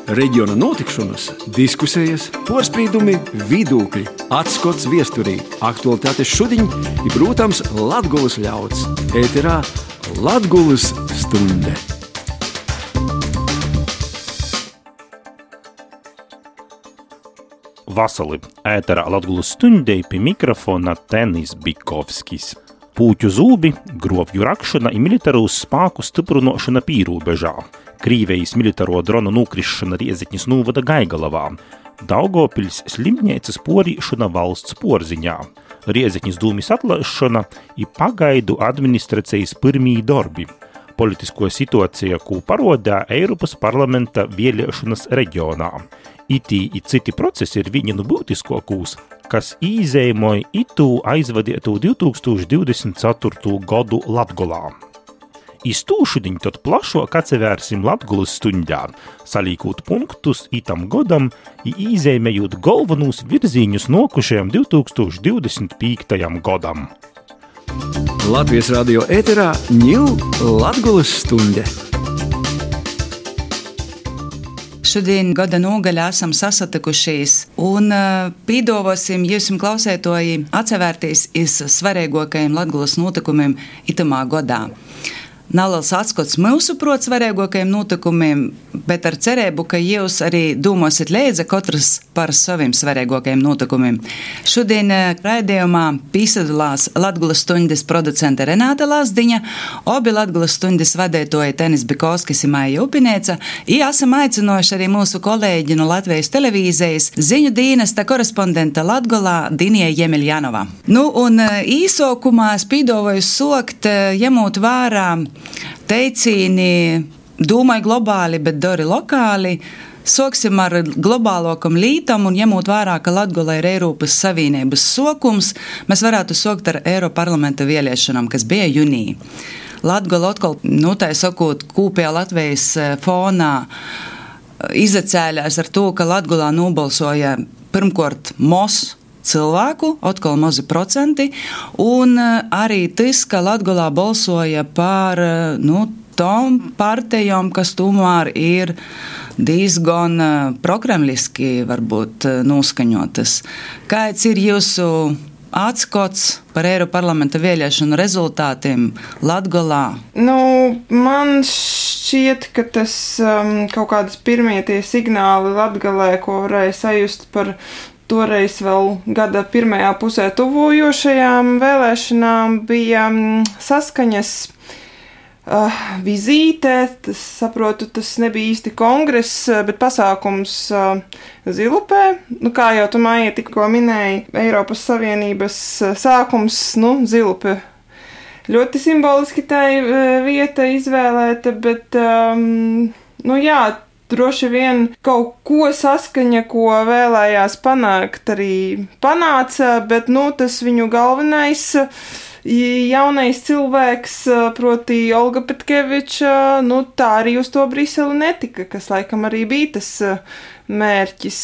Reģiona notikšanas, diskusijas, porspīdumi, vidūkļi, atskots viesturī, aktualitātes šudiņ i, protams, Latgulas ļauds. Ēterā Latgulas stunde. Vasali, ēterā Latgulas stundei pie mikrofona Tenis Bikovskis. Pūķu zūbi, grovju rakšana i militarūs spāku styprunošana pīrūbežā. Krīvejis militaro dronu nūkrišana Riezeknis nūvada Gaigalavā. Daugavpils slimniecas porīšana valsts porziņā. Riezeknis dūmis atlaišana i pagaidu administracijas pirmī darbi. Politisko situācija, ko parodā Eiropas parlamenta vēlēšanas reģionā. Itī i citi procesi ir viņi no būtiskokūs, kas īzējumoja itū aizvadietu 2024. Gadu Latgolā. Iz tū šudiņ tad plašok atsevērsim Latgulas stundā, salīkūt punktus itam godam i īzējumējot galvenūs virzīņus nokušajam 2025. Godam. Latvijas radio ēterā ņū Latgulas stunde. Šodien gada nogaļā esam sasatikušies un pīdovosim jūsim klausētoji atsevērties iz svarīgākajiem Latgulas notikumiem itamā godā. Nav liels atskots mūsu prot svarīgākajiem notikumiem, bet ar cerību, ka jūs arī domāsiet līdzi katrs par saviem svarīgākajiem notikumiem. Šodien raidījumā piesaistās Latgulas stundas producente Renāta Lazdiņa, abi Latgulas stundas vadītāji Tenis Bikovskis un Maija Upinēca, i esam aicinājuši arī mūsu kolēģi no Latvijas televīzijas ziņu dienesta korespondenta Latgolā Dinija Jemeļjanova. Nu, un īsākumā es pīdovoju sokt, ņemot vērā teicīni domāju globāli, bet dori lokāli. Soksim ar globālokam lītam un ņemot vērā, ka Latgola ir Eiropas Savienības sokums, mēs varētu sokt ar Eiroparlamenta vēlēšanām, kas bija junī. Latgola atkal, tā sakot, kūpējā Latvijas fonā izacēļās ar to, ka Latgolā nobalsoja pirmkort MOS cilvēku, atkal mazi procenti, un arī tas, ka Latgolā balsoja par tom partijām, kas tomēr ir diezgan prokremliski varbūt noskaņotas. Kāds ir jūsu atskots par Eiroparlamenta vēlēšanu rezultātiem Latgolā? Man šķiet, ka tas kaut kādas pirmie tie signāli Latgalē, ko varēja sajust par toreiz vēl gada pirmajā pusē tuvojošajām vēlēšanām, bija saskaņas vizīte. Saprotu, tas nebija īsti kongress, bet pasākums Zilupē. Kā jau tu, Maija, tikko minēji, Eiropas Savienības sākums, Zilupe. Ļoti simboliski tai vieta izvēlēta, bet, droši vien kaut ko saskaņa, ko vēlējās panākt, arī panāca, bet, tas viņu galvenais jaunais cilvēks, proti Olga Petkeviča, tā arī uz to Briseli netika, kas laikam arī bija tas mērķis,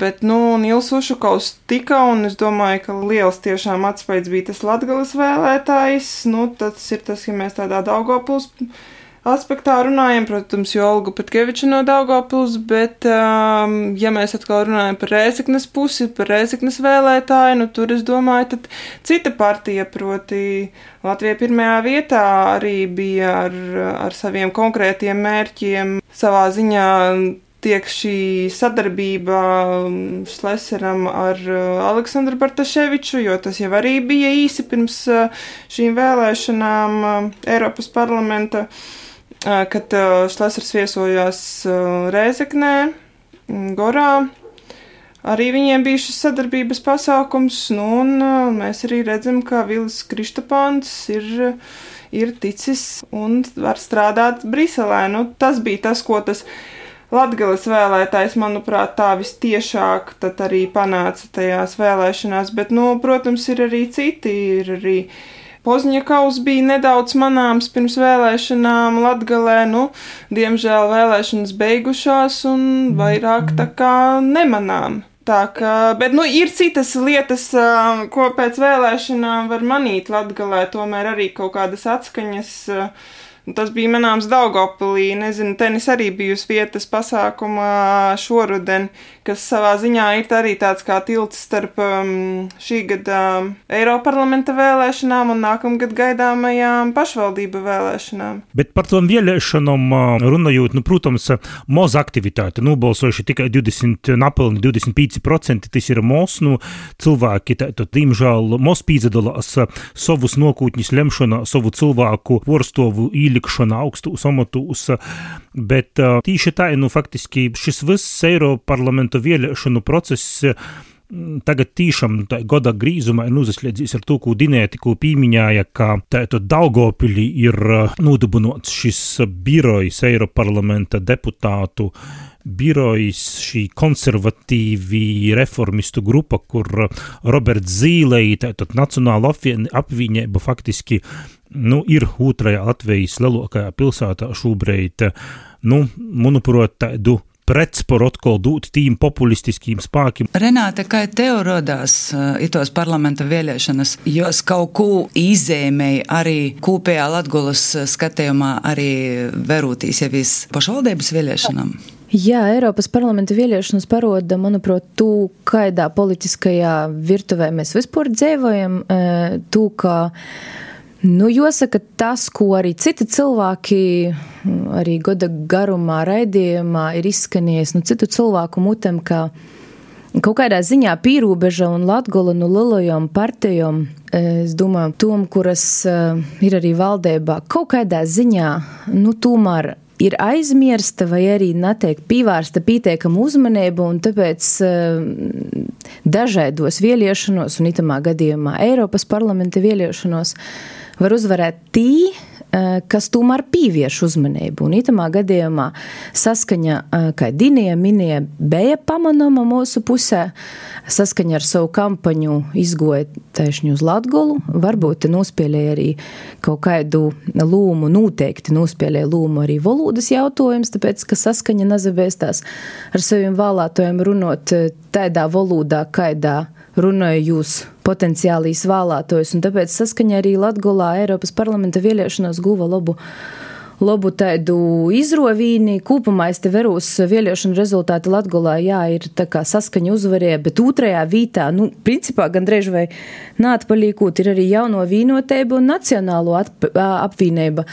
bet, Nils Ušakovs tika, un es domāju, ka liels tiešām atspaids bija tas Latgales vēlētājs, tas ir tas, ja mēs tādā Daugavpils aspektā runājam, protams, jo Olga Petkeviča no Daugavpils, bet, ja mēs atkal runājam par Rēzeknes pusi, par Rēzeknes vēlētāju, tur es domāju, tad cita partija, proti Latvija pirmajā vietā arī bija ar saviem konkrētiem mērķiem. Savā ziņā tiek šī sadarbība Šleseram ar Aleksandru Bartaševiču, jo tas jau arī bija īsi pirms šīm vēlēšanām Eiropas parlamenta, kad Šlesers viesojās Rēzeknē, Gorā. Arī viņiem bija šis sadarbības pasākums, un mēs arī redzam, ka Vilis Kristapāns ir ticis un var strādāt Briselē. Tas bija tas, ko tas Latgales vēlētājs, manuprāt, tā vistiešāk tad arī panāca tajās vēlēšanās, bet, protams, ir arī citi, ir arī Pozņakovs bija nedaudz manāms pirms vēlēšanām Latgalē, diemžēl vēlēšanas beigušās un vairāk tā kā nemanām. Bet ir citas lietas, ko pēc vēlēšanām var manīt Latgalē, tomēr arī kaut kādas atskaņas Tas bija manāms Daugavpilī, nezinu, tenis arī bijusi vietas pasākumā šoruden, kas savā ziņā ir arī tāds kā tilts starp šī gada Eiroparlamenta vēlēšanām un nākamgad gaidāmajām pašvaldību vēlēšanām. Bet par tām vēlēšanām runājot, protams, maz aktivitāte, balsojuši tikai 25%, tas ir maz, cilvēki, diemžēl, maz pīdzadalās savus nokūtņus lemšanā, savu cilvēku porstovu īlikšanā augstos amatos, bet tīši tā, faktiski šis viss Eiroparlamenta vēlēšanu process tagad tīšām gada grīzumā ir uzasliedzījis ar to, ko Dinē tikko pīmiņāja, ka Daugavpilī ir nodibināts šis birojs Eiroparlamenta deputātu birojs, šī konservatīvi reformistu grupa, kur Roberts Zīlei, Nacionāla apvienība faktiski ir otrajā Latvijas lielākajā pilsētā šobrīd, manuprāt, tādu pretsporu atkal dūt tīm populistiskiem spākiem. Renāte, kā tev rodās itos parlamenta vēlēšanas, jos kaut ko izēmēja arī kopējā Latgulas skatījumā arī verūtīs jau pašvaldības vēlēšanām? Jā, Eiropas parlamenta vēlēšanas paroda, manuprāt, tū, kaidā politiskajā virtuvē mēs vispār dzīvojam, tū, ka jāsaka tas, ko arī citi cilvēki arī gada garumā raidījumā ir izskanējis, citu cilvēku mutem, ka kaut kādā ziņā pīrūbeža un Latgula lielajām partijām, es domāju, tom, kuras ir arī valdībā, kaut kādā ziņā, tomēr ir aizmirsta vai arī netiek pīvērsta pietiekama uzmanība, un tāpēc dažādos vēlēšanos, un itamā gadījumā Eiropas parlamenta vēlēšanos, var uzvarēt tī, kas tomēr pīvieš uzmanību. Un itamā gadījumā saskaņa, kā Dinija minēja, bija pamanama mūsu pusē, saskaņa ar savu kampaņu izgoja taišņu uz Latgolu, varbūt nospēlēja arī kaut kādu lūmu, noteikti nospēlēja lūmu arī valodas jautājums, tāpēc, ka saskaņa nazabēstās ar saviem vēlētojiem runot tādā valodā, kaidā runāja jūs potenciālīs vēlētojus, un tāpēc saskaņā arī Latgolā Eiropas parlamenta vēlēšanās guva labu tādu izrovīni. Kūpumā es te verūs vēlēšanu rezultāti Latgolā, ir tā kā saskaņa uzvarēja, bet otrajā vītā, principā gandrīz vai nātpalīkūt ir arī jauno vīnotība un nacionālo apvienība.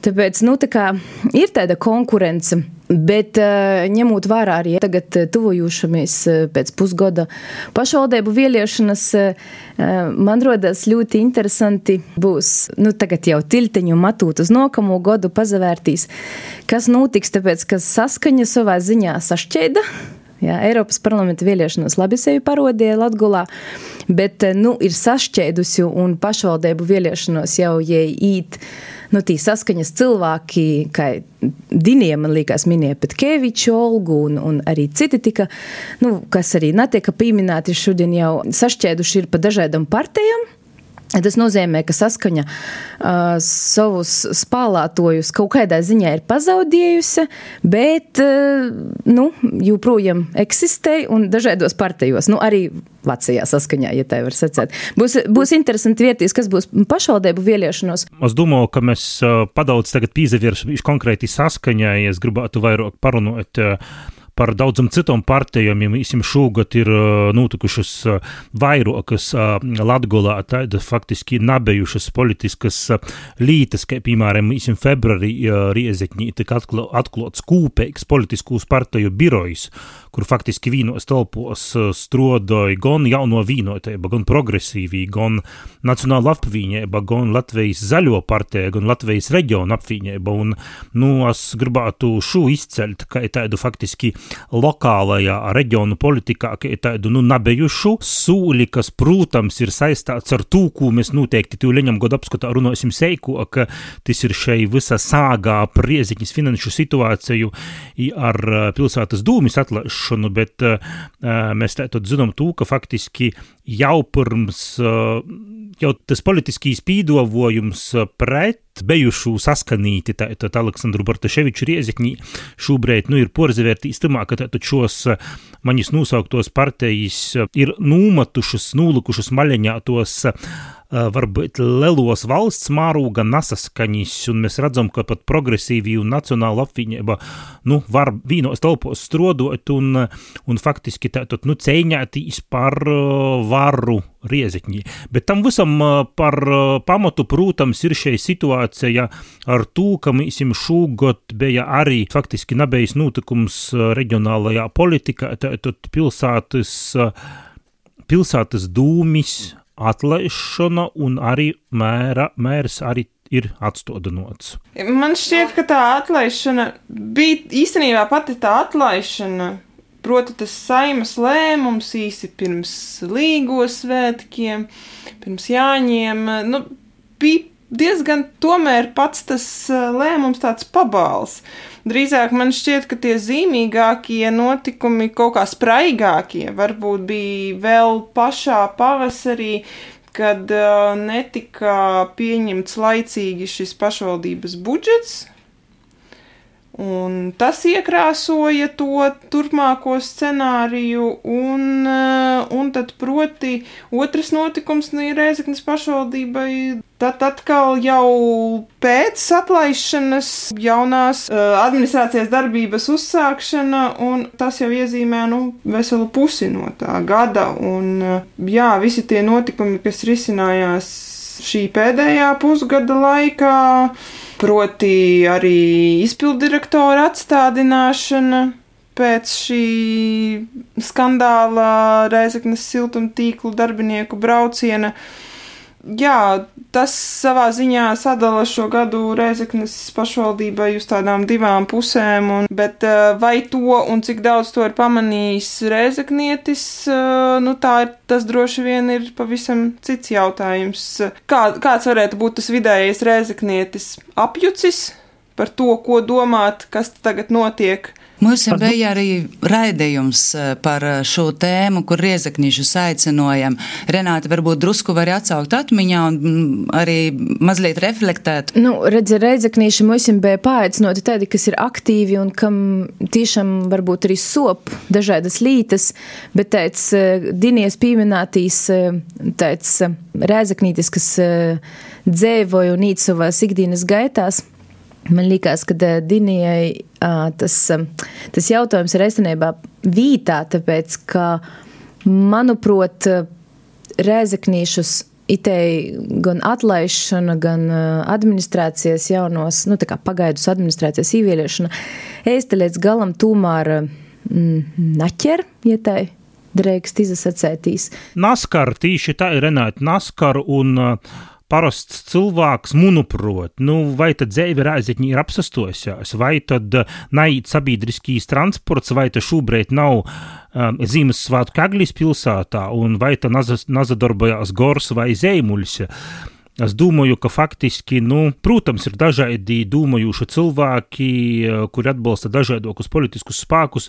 Tāpēc, tā kā ir tāda konkurence, bet ņemot vērā arī tagad tuvojušamies pēc pusgada pašvaldību vēlēšanas, man rodas ļoti interesanti būs, tagad jau tilteņu matūt uz nākamo gadu pazavērtīs, kas notiks, tāpēc, ka saskaņa savā ziņā sašķēda. Jā, Eiropas parlamenta vēlēšanas labi sevi parodīja Latgulā, bet, ir sašķēdusi un pašvaldību vēlēšanos jau īt, tī saskaņas cilvēki, kā Dinija, man liekas, minēja Petkeviču, Olgu un arī citi tika, kas arī netieka pieminēti šodien jau sašķēduši ir pa dažādām partijām. Tas nozīmē, ka saskaņa savus spēlētojus kaut kādā ziņā ir pazaudējusi, bet, joprojām eksistē un dažādos partijos, arī Vācijā saskaņā, ja tā var sacēt. Būs interesanti vērtīs, kas būs pašvaldību vēlēšanos. Es domāju, ka mēs padaudz tagad pīzavierši konkrēti saskaņā, ja es gribētu vairāk parunot par daudzam citom partijām, ja šogad ir notikušas vairākas Latgolā tāda faktiski nabejušas politiskas lītas, kā piemēram, februārī Riezekņī tika atklāts kūpeigs politiskūs partiju birojs, kur faktiski vīnos telpos strodoja gan jauno vīnotība, gan progresīvī, gan Nacionāla apvienība, gan Latvijas zaļo partija, gan Latvijas reģiona apvienība. Un, es gribētu šo izceļt, kā tādu faktiski lokālajā reģionu politikā, kā tādu, nabejušu sūli, kas, protams, ir saistāts ar to, ko mēs noteikti tev leņam godu apskatā runāsim seiko, ka tas ir šai visa sāgā par Riezekņas finanšu situāciju ar pilsētas dūmis atlaišanu, bet mēs tātad zinām to, ka faktiski jau pirms, jau tas politiskīs pīdovojums pret bejušu saskanīti tātad Aleksandru Bartaševiču Riezekņī šobrīd, ir porzavērtīs tamā, ka tātad šos manis nosauktos partijas ir nūmatušas, nūlikušas maļaņā tos varbūt lelos valsts mārūga nasaskaņis, un mēs redzam, ka pat progresīvi un nacionāla apvienība, var vīnos telpos strodot un faktiski tātad, cēņētīs par varu Riezekņī. Bet tam visam par pamatu, protams, ir šī situācija ar to, ka mēs šogad bija arī faktiski nebejis notikums reģionālajā politikā, tātad pilsētas dūmis atlaišana un arī mērs arī ir atstodinots. Man šķiet, ka tā atlaišana bija īstenībā pati tā atlaišana, proti tas Saimas lēmums īsi pirms Līgo svētkiem, pirms Jāņiem, bija diezgan tomēr pats tas lēmums tāds pabāls. Drīzāk man šķiet, ka tie zīmīgākie notikumi, kaut kā spraigākie, varbūt bija vēl pašā pavasarī, kad netika pieņemts laicīgi šis pašvaldības budžets, un tas iekrāsoja to turpmāko scenāriju, un tad proti otrs notikums Rēzeknes pašvaldībai, tad atkal jau pēc atlaišanas jaunās administrācijas darbības uzsākšana, un tas jau iezīmē, veselu pusi no tā gada, un visi tie notikumi, kas risinājās šī pēdējā pusgada laikā, proti arī izpildirektora atstādināšana pēc šī skandāla Rēzeknes siltumtīklu darbinieku brauciena. Tas savā ziņā sadala šo gadu Rēzeknes pašvaldībai uz tādām divām pusēm, bet vai to un cik daudz to ir pamanījis rēzeknietis, tas droši vien ir pavisam cits jautājums. Kāds varētu būt tas vidējais rēzeknietis apjucis par to, ko domāt, kas tagad notiek? Mums bija arī raidījums par šo tēmu, kur riezeknīšus aicinojam. Renāte, varbūt drusku var atsaukt atmiņā un arī mazliet reflektēt. Riezeknīši mums bija paaicinoti tādi, kas ir aktīvi un kam tiešām varbūt arī sop dažādas lītas, bet tāds Dinijas pieminētīs tāds riezeknītis, kas dzēvoja un īt savās ikdienas gaitās. Man liekas, ka Dinijai tas jautājums ir eistenībā vītā, tāpēc, ka, manuprāt, rēzeknīšus itei gan atlaišana, gan administrācijas jaunos, tā kā pagaidus administrācijas īvieliešana, eisti līdz galam tūmār naķer, ja tai dreikst izasacētīs. Naskar, tīši tā ir Renāte, naskar un parasts cilvēks, manuprāt, vai tad dzēve Rēzekņī ir apsastojās, vai tad naiet sabiedriskīs transports, vai tad šobrīd nav Ziemassvētku Eglis pilsētā, un vai tad nazadarbojās Gors vai Zeimuļs. Es domāju, ka faktiski, protams, ir dažādi domājuši cilvēki, kuri atbalsta dažādokus politiskus spēkus,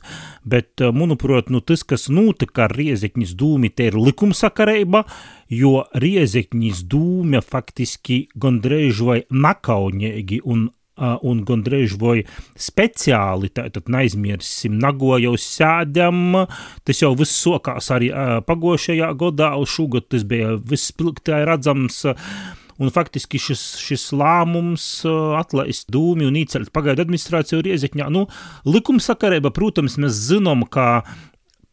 bet, manuprāt, tas, kas notika ar Riezekņas dūmi, te ir likumsakarība, jo Riezekņas dūme faktiski gandrīz vai nakaunīgi un gandrīz vai speciāli, tātad neaizmirsim, Nagojaus sēdam, tas jau viss sokās arī pagošajā gadā, un šogad tas bija viss pilktā redzams, un faktiski šis lēmums atlaist dūmi un īcelt pagaidu administrāciju Riezekņā. Likumsakarība, protams, mēs zinām, ka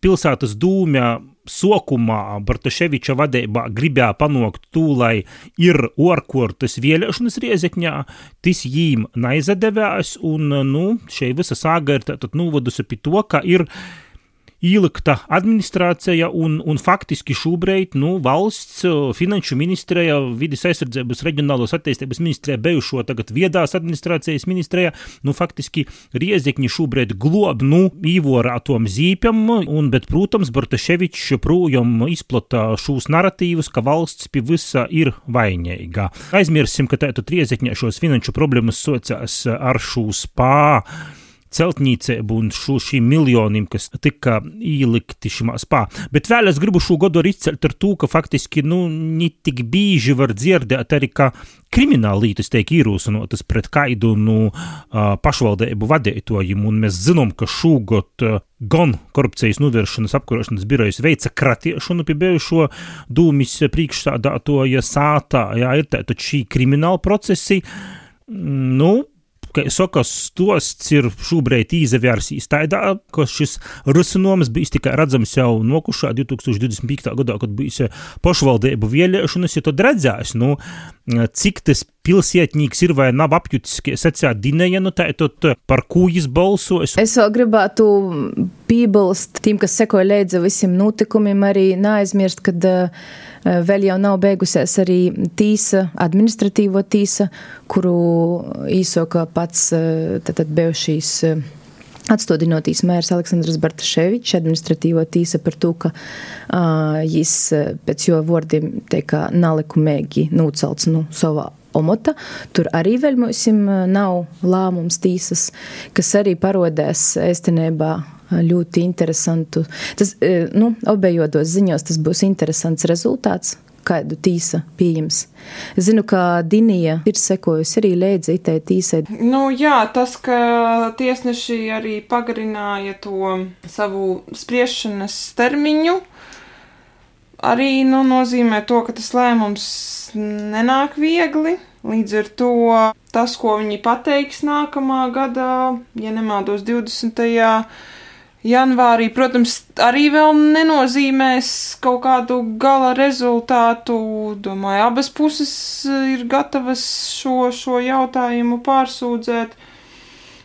pilsētas dūmja sokumā Bartaševiča vadībā gribēja panākt to, lai ir orkortas vēlēšanas Riezekņā, tas jīm neizadevās, un šeit visa sāga ir tātad novadusi pie to, ka ir ielikta administrācija un faktiski šobrīd, valsts finanšu ministrija, vides aizsardzības reģionālos attīstības ministrija, bijušo tagad viedās administrācijas ministrija, faktiski Riezekņi šobrīd glob, īvorātom zīpjam, bet, protams, Bartaševičs joprojām izplata šūs naratīvus, ka valsts pie visa ir vainīga. Aizmirsim, ka tātad Riezekņā šos finanšu problēmas sociās ar šūs celtnīceibu un šīm miljoniem, kas tika īlikti šimā spā. Bet vēl es gribu šo godu arī izcelt ar to, ka faktiski, ne tik bīži var dzirdēt arī, ka krimināla lītas tiek īrūsinotas pret kaidu pašvaldību vadītojiem, un mēs zinām, ka šogad gan korupcijas novēršanas apkarošanas birojas veica kratiešanu pie bijušo dūmis priekšsādātoja sātā, ir tātad šī krimināla procesi, kā saka, stosts ir šobrīd izvērsīs tādā, ka šis risinājums bijis tikai redzams jau nokušā 2025. gadā, kad bijis pašvaldību vēlēšanas, ja tad redzēs, cik tas pilsietnīgs ir vai nav apjutis, kā sacīja Dineja, tātad par ko jis balsos. Es vēl gribētu piebilst tiem, kas sekoja līdzi visiem notikumiem, arī neaizmirst, kad vēl jau nav beigusies arī tīsa, administratīvo tīsa, kuru īsoka pats tātad bijušīs atstādinotīs mērs Aleksandrs Bartaševičs, administratīvo tīsa par to, ka jis pēc jo vārdiem teika nelikumīgi nūcelts savā omota. Tur arī vēl mums nav lēmums tīsas, kas arī parodēs ēstenībā ļoti interesantu. Tas, obejodos ziņos tas būs interesants rezultāts, kādu tīsa pieņems. Es zinu, ka Dinija ir sekojusi arī līdzi itai tīsai. Jā, tas, ka tiesneši arī pagarināja to savu spriešanas termiņu, arī nozīmē to, ka tas lēmums nenāk viegli. Līdz ar to tas, ko viņi pateiks nākamā gadā, ja nemaldos 20. janvārī, protams, arī vēl nenozīmēs kaut kādu gala rezultātu. Domāju, abas puses ir gatavas šo jautājumu pārsūdzēt.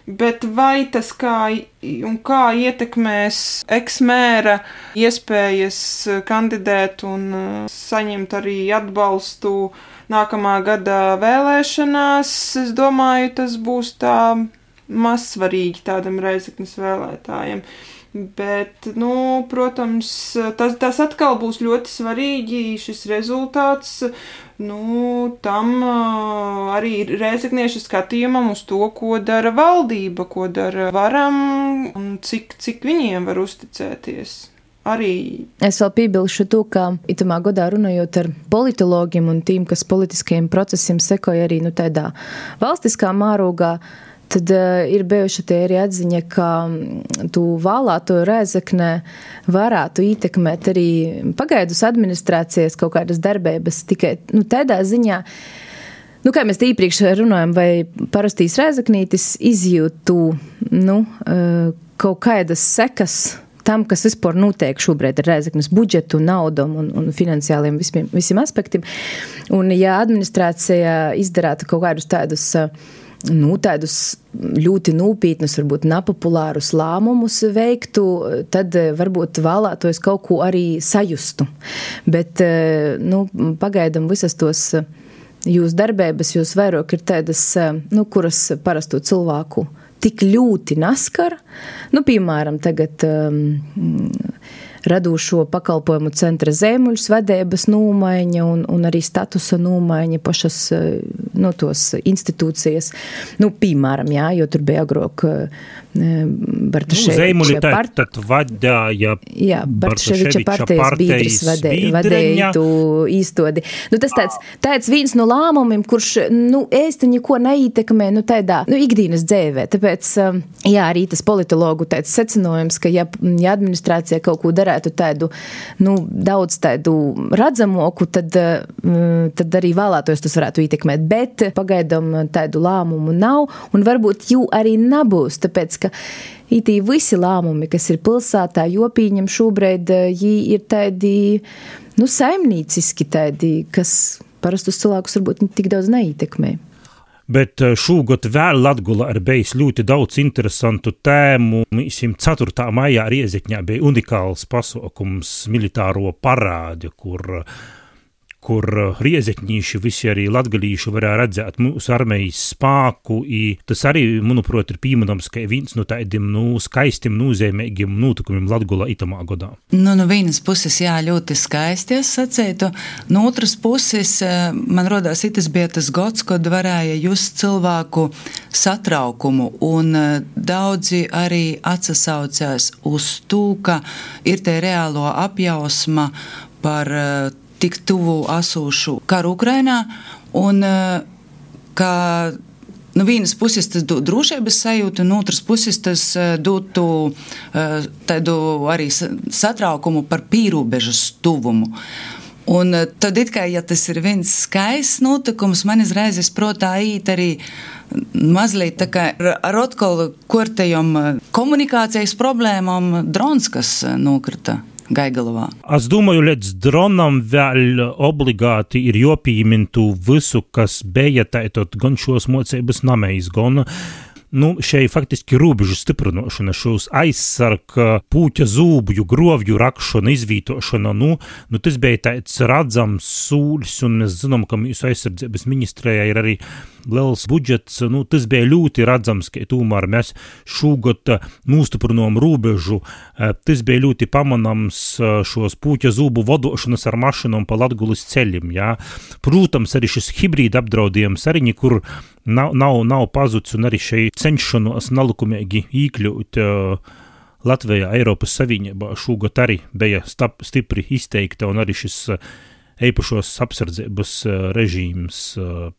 Bet vai tas kā ietekmēs eksmēra iespējas kandidēt un saņemt arī atbalstu nākamā gada vēlēšanās, es domāju, tas būs tā mazsvarīgi tādam Reizeknes vēlētājiem. Bet, protams, tas atkal būs ļoti svarīgi, šis rezultāts, tam arī Reizekniešu skatījumam uz to, ko dara valdība, ko dara varam un cik viņiem var uzticēties. Arī. Es vēl piebilšu to, ka itamā godā runājot ar politologiem un tiem, kas politiskajiem procesiem sekoja arī tādā valstiskā mārūgā, tad ir bijuši tie arī atziņa, ka tu vēlēto Reizeknē varētu ietekmēt arī pagaidus administrācijas kaut kādas darbības, tikai tādā ziņā, kā mēs iepriekš runājam, vai parastīs Reizeknītis izjūtu kaut kādas sekas tam, kas vispār notiek šobrīd ar Reizeknes budžetu, naudam un finansiāliem visiem aspektiem. Un ja administrācija izdarātu kaut kādus tādus ļoti nopietnus, varbūt nepopulārus lēmumus veiktu, tad varbūt vēlētos kaut ko arī sajustu. Bet, pagaidam visas tos jūs darbības, jūs vairāk ir tādas, kuras parasto cilvēku tik ļoti naskar. Piemēram, tagad radošo pakalpojumu centra Zēmuļs vadības nūmaiņa un arī statusa nūmaiņa pašas tos institūcijas. Piemēram, jo tur bija agrāk Bartaševiča partija. Tad vadāja Bartaševiča partijas biedrs vadēja tu īstodi. Tas tāds viens no lēmumiem, kurš, ēsti neko neietekmē, tādā, ikdienas dzēvē. Tāpēc, arī tas politologu tāds secinājums, ka ja administrācija kaut ko darētu tādu, daudz tādu redzamoku, tad arī vēlētos tas varētu ietekmēt. Bet pagaidām tādu lēmumu nav, un varbūt jū arī nebūs, tāpēc, ka itī visi lēmumi, kas ir pilsētā, jopīņam šobrīd, jī ir tādi, saimnīciski tādi, kas parastus cilvēkus varbūt tik daudz neietekmē. Bet šogad vēl Latgolā ir bijis ļoti daudz interesantu tēmu. 4. maijā Riezekņā bija unikāls pasaukums militāro parādi, kur kur riezekņīši visi arī latgalīši varēja redzēt mūsu armijas spāku, i tas arī, manuprāt, ir pīmanams, ka viens no tādiem, skaistiem, nozīmīgiem notikumiem Latgolā itamā godā. No vienas puses, jā, ļoti skaisti es sacītu, no otras puses, man rodās, itas bija tas gods, kad varēja just cilvēku satraukumu, un daudzi arī atsasaucās uz to, ka ir te reālo apjausma par tik tuvu asūšu karu Ukrainā, un ka no vienas puses tas dod drošības sajūtu, no otras puses tas dotu tādu arī satraukumu par pīrobežas tuvumu. Un tad it kā, ja tas ir viens skaists notikums, man izraizes protā īt arī mazliet tā kā ar atkal kortajom komunikācijas problēmām drons, kas nokrita Gaigalovā. Es domāju, līdz dronam vēl obligāti ir jopīmintu visu, kas bija tātad gan šos mocības namējs, gan šeit faktiski robežu stiprinošana, šos aizsarga pūķa zūbju, grovju rakšana, izvītošana, tas bija tāds radzams sūļs, un mēs zinām, ka mūsu aizsardzības ministrijā ir arī liels budžets, tas bija ļoti radzams, ka tomēr mēs šogad nostiprinām robežu, tas bija ļoti pamanams šos pūķa zūbu vadošanas ar mašinām pa Latgulis ceļiem, jā. Protams, arī šis hibrīda apdraudījums arī nekur nav pazuds, un arī šeit cenšanos nelikumīgi īkļūt Latvijā, Eiropas Savienībā šogad arī bija stipri izteikta, un arī šis eipašos apsardzības režīms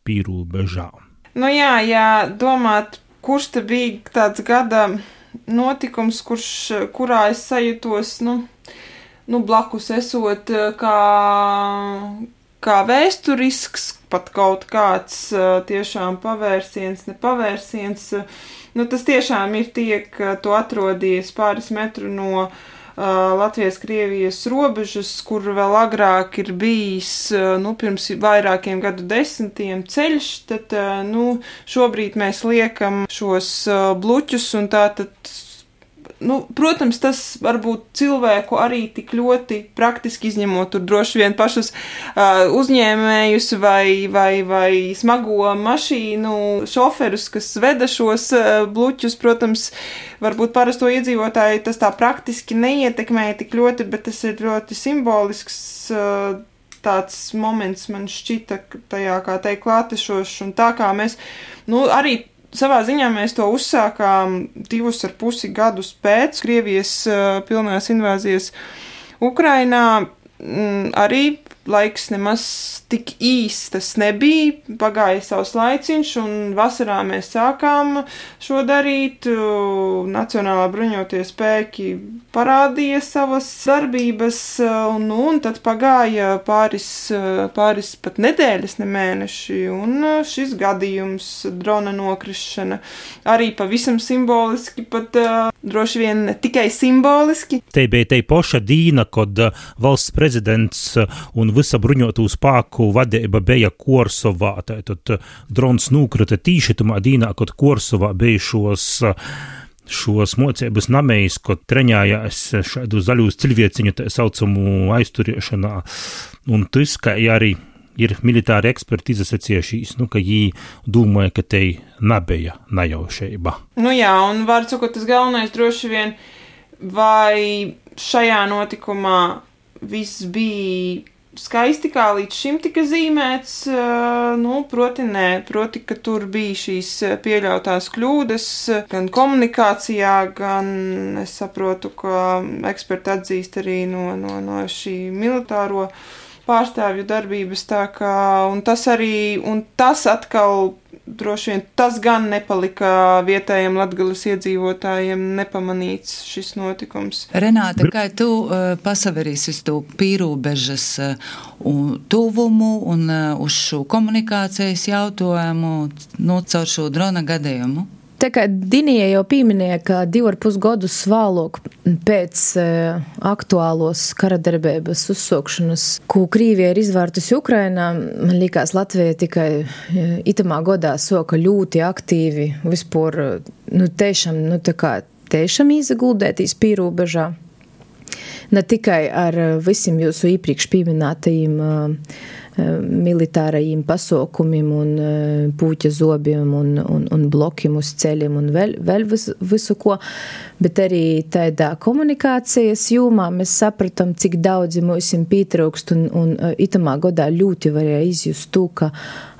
pīrobežā. Jā, domāt, kurš te bija tāds gada notikums, kurā es sajūtos, blakus esot kā vēsturisks, pat kaut kāds tiešām pavērsiens, nepavērsiens. Tas tiešām ir tiek, tu atrodies pāris metru no Latvijas-Krievijas robežas, kur vēl agrāk ir bijis, pirms vairākiem gadu desmitiem ceļš, tad, šobrīd mēs liekam šos bluķus, un tātad, protams, tas varbūt cilvēku arī tik ļoti praktiski izņemot tur droši vien pašus uzņēmējus vai smago mašīnu šoferus, kas veda šos bluķus, protams, varbūt parasto iedzīvotāju tas tā praktiski neietekmēja tik ļoti, bet tas ir ļoti simbolisks tāds moments man šķita tajā, kā teikt, klātešošs, un tā kā mēs, arī savā ziņā mēs to uzsākām 2,5 gadus pēc Krievijas pilnās invāzijas Ukrainā. Arī laiks nemaz tik īsts tas nebija, pagāja savs laiciņš, un vasarā mēs sākām šo darīt. Nacionālā bruņotie spēki parādīja savas darbības, un tad pagāja pāris pat nedēļas, ne mēneši, un šis gadījums, drona nokrišana, arī pavisam simboliski, pat droši vien ne tikai simboliski. Te bija te poša dīna, kad valsts prezidents un visa bruņotu spēku vadība bija Korsovā. Tātad drons nokrita tīši tamā dīnā, kad Korsovā bija šos mocības namējs, kad treņājās šādu zaļūs cilvēciņu tā saucamu aizturiešanā. Un tas, ka arī ir militāri eksperti izsacījušies, ka jī domāja, ka te nebija nejaušība. Un var sakot, tas galvenais droši vien, vai šajā notikumā viss bija skaisti, kā līdz šim tika zīmēts, proti, ka tur bija šīs pieļautās kļūdas gan komunikācijā, gan es saprotu, ka eksperti atzīst arī no šī militāro pārstāvju darbības, tā kā, un tas atkal droši vien tas gan nepalika vietējiem Latgales iedzīvotājiem nepamanīts šis notikums. Renāta, kā tu pasaverīsi uz to pīrobežas tuvumu un uz šo komunikācijas jautājumu caur šo drona gadījumu? Tā kā Dinija jau pieminēja, ka 2,5 gadus vēlāk pēc aktuālos karadarbības uzsākšanas, ko Krīvija ir izvērtusi Ukrainā, man liekas, Latvija tikai itamā gadā soka ļoti aktīvi vispār, tiešām izaguldētīs pīrobežā. Ne tikai ar visiem jūsu iepriekš pieminētajiem militārajiem pasaukumiem un pūķa zobiem un blokiem uz ceļiem un vēl visu ko, bet arī tādā komunikācijas jūmā mēs sapratam, cik daudzi mūsim pietrūkst un itamā godā ļoti varēja izjust to, ka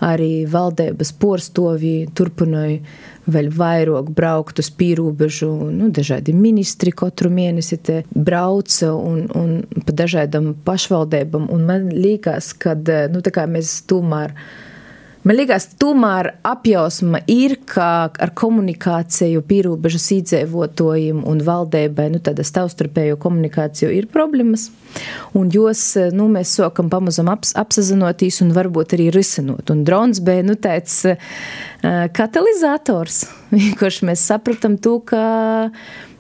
arī valdības porstovī turpināja vēl vairāk braukt uz pīrūbežu, dažādi ministri katru mēnesi te brauca un pa dažādam pašvaldībam, un man liekas, kad, tā kā mēs tomēr apjausma ir, ka ar komunikāciju pīrūbežas iedzīvotājiem un valdībai, tāda savstarpējo komunikāciju ir problēmas, un jos, mēs sākam pamazam apsazinoties un varbūt arī risinot, un drons bija, tāds katalizators, kurš mēs sapratam to, ka,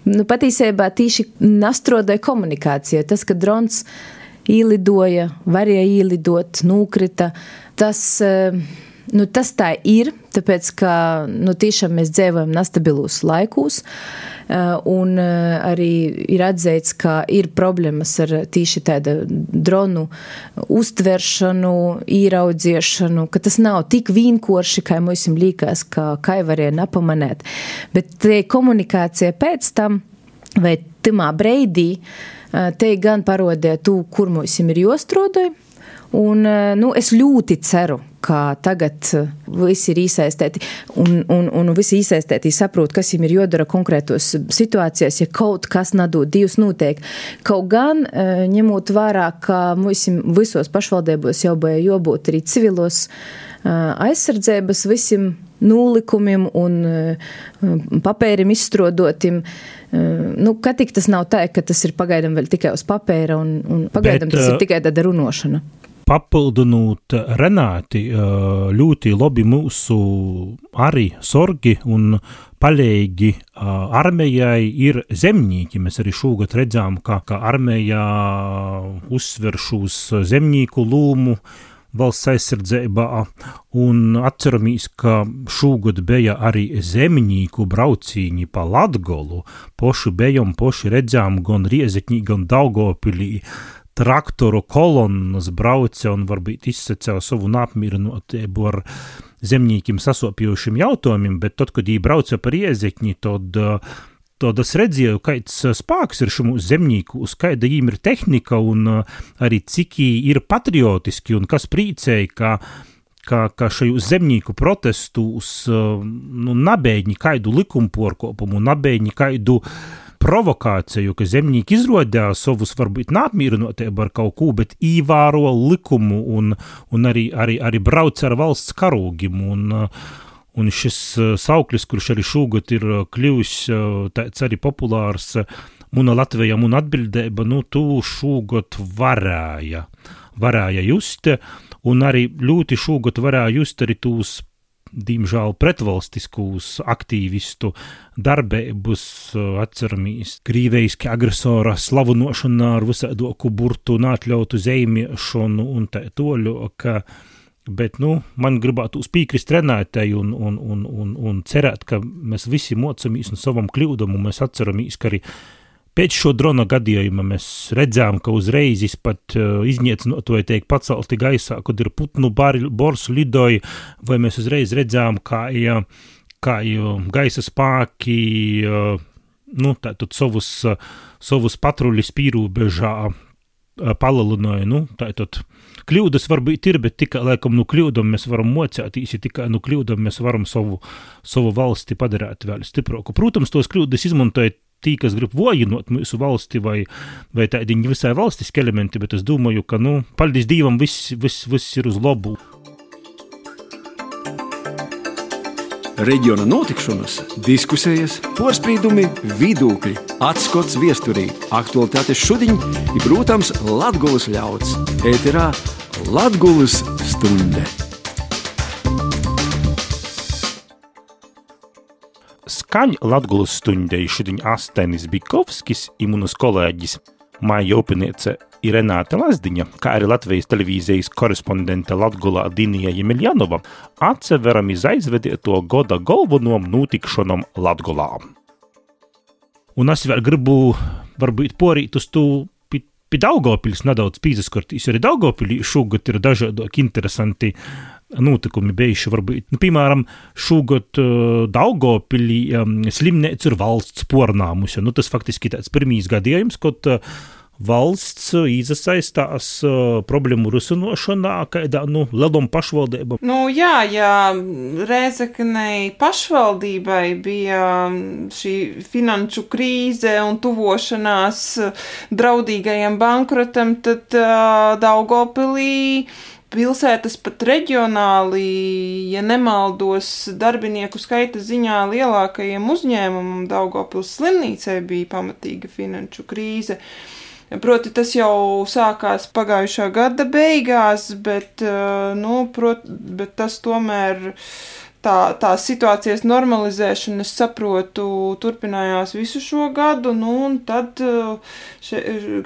patīsībā tīši nastrodāja komunikācija, tas, ka drons īlidoja, varēja īlidot, nūkrita, tas tā ir, tāpēc, ka, tiešām mēs dzīvojam nestabilūs laikūs, un arī ir atzīts, ka ir problēmas ar tīši tāda dronu uztveršanu, īraudziešanu, ka tas nav tik vienkārši, kā mums liekas, kā varēja napamanēt, bet te komunikācija pēc tam, vai timā breidī, te gan parodēja to, kur mums ir jostrodoj, un, es ļoti ceru, ka tagad visi ir iesaistēti un visi iesaistēti saprot, kas viņiem ir jodara konkrētos situācijās, ja kaut kas nadod divs notiek. Kaut gan, ņemot vērā, ka mums visos pašvaldībos jau bija jābūt arī civilos aizsardzības visiem nūlikumiem un papērim izstrodotim. Ka tik tas nav tā, ka tas ir pagaidam vēl tikai uz papēra un pagaidam tas ir tikai tāda runošana. Papildinot Renāti, ļoti labi mūsu arī sorgi un palīgi armijai ir zemnīki. Mēs arī šogad redzām, ka armijā uzsver šūs zemnīku lūmu valsts aizsardzībā, un atceramies, ka šogad bija arī zemnīku braucīņi pa Latgolu. Poši bijām, poši redzām gan Riezekņī, gan Daugavpilī. Traktoru kolonnas brauca un varbūt izsacēja savu apmierinotību ar zemnīkiem sasopjošiem jautājumiem, bet tad, kad viņi brauca par Riezekņi, tad es redzēju, kāds spēks ir šim zemnīkus, kāda viņiem ir tehnika un arī cik ir patriotiski un kas priecēja, ka šajos zemnīku protestus nabēģi kaidu likumporkopumu, nabēģi kaidu provokāciju, ka zemnīki izrodīja savus varbūt neapmierinotību ar kaut ko, bet īvēro likumu un arī brauc ar valsts karūgim. Un šis sauklis, kurš arī šogad ir kļuvis tāds arī populārs, Muna Latvija, Muna atbildība, tu šogad varēja just, un arī ļoti šogad varēja just arī tūs diemžēl pretvalstiskus aktīvistu darbības, atceramies, krīveiski agresora slavunošana ar visādoku burtu un atļautu zeimiešanu un tā toļoka, bet, man gribētu piekrist Renātei un cerēt, ka mēs visi mocamies no savam kļūdam un mēs atceramies, ka arī pēc šo drona gadījuma mēs redzām, ka uzreiz pat izniecinotoji tiek pacelti gaisā, kad ir putnu bors lidoja, vai mēs uzreiz redzām, kā gaisa spēki, tātad savus patruļus pīrūbežā palelinoja, tātad kļūdas varbūt ir, bet tikai, laikam, kļūdam mēs varam mocētīs, ja tikai kļūdam mēs varam savu valsti padarīt vēl stiprāku. Protams, tos kļūdas izmantoja tī, kas grib vojinot mūsu valsti vai tādi visai valstiski elementi, bet es domāju, ka, paldies Dievam, viss ir uz labu. Reģiona notikšanas, diskusijas, porspīdumi, vidūkļi, atskots viesturī, aktualitātes šudiņ ir, protams, Latgulas ļauds. Ēterā Latgulas stunde. Skaņ Latgulas stundei šodien Astenis Bikovskis i munas kolēģis Maija Upiniece i Renāte Lazdiņa, kā arī Latvijas televīzijas korespondente Latgulā Dinija Jemiljanova, atseveram iz aizvedieto goda galvenom notikšanom Latgulā. Un es vēl gribu varbūt porīt uz to pie Daugavpiļas nedaudz pīzaskortīs, arī Daugavpilī šogad ir dažādāk interesanti notikumi bijuši, varbūt, piemēram, šogad Daugavpilī slimneica ir valsts pornāmusi. Tas faktiski tāds pirmīs gadījums, kad valsts izasaistās problēmu risinošanā, kādā, lielom pašvaldībām. Jā, Rēzeknei pašvaldībai bija šī finanšu krīze un tuvošanās draudīgajam bankrotam, tad Daugavpilī pilsētas pat reģionāli, ja nemaldos, darbinieku skaita ziņā lielākajiem uzņēmumam Daugavpils slimnīcai bija pamatīga finanšu krīze. Proti, tas jau sākās pagājušā gada beigās, bet tas tomēr tā situācijas normalizēšana, es saprotu, turpinājās visu šo gadu, un tad